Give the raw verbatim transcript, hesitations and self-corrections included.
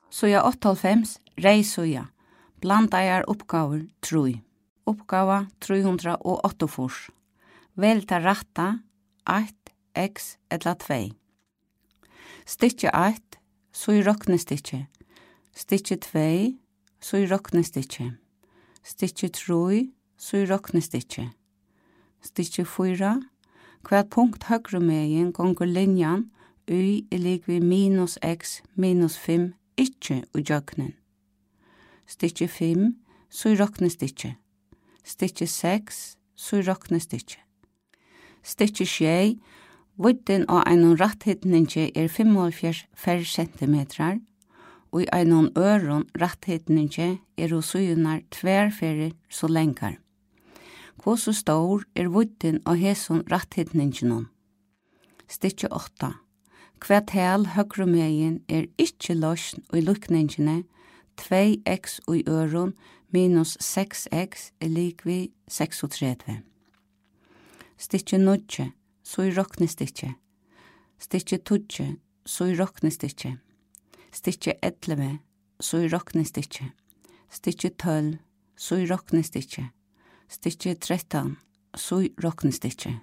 Síða áttaoghálvfems, reyð síða. Blandaðar uppgávur trý. Uppgáva trý hundrað og áttaogfýrs. Vel tað rætta, eitt, x ella tvey. Stykki eitt, síð roknistykki. Stykki tvey, síð roknistykki. Stykki trý, síð roknistykki. Stykki fýra. Hvat punkt høgru megin gongur linjan y er ligvið minus x minus fimm ikki ígjøgnin? Stykki fimm, síð roknistykki. Stykki seks, síð roknistykki. Stykki sjey. Víddin á einum rætthyrningi er fimmoghálvfjerðs ferrsentimetrar. Í einum øðrum rætthyrningi eru síðurnar tvær ferðir so langar. Hvussu stór er víddin á hesum rætthyrninginum? Stykki átta. Hvat tal høgru megin er ikki loysn í líkningini tvey x í øðrum minus seks x er ligvið seksogtretivu? Stykki níggju, síð roknistykki. Stykki tíggju, síð roknistykki. Stykki ellivu, síð roknistykki. Stykki tólv, síð roknistykki. Stykki trettan, síð roknistykki.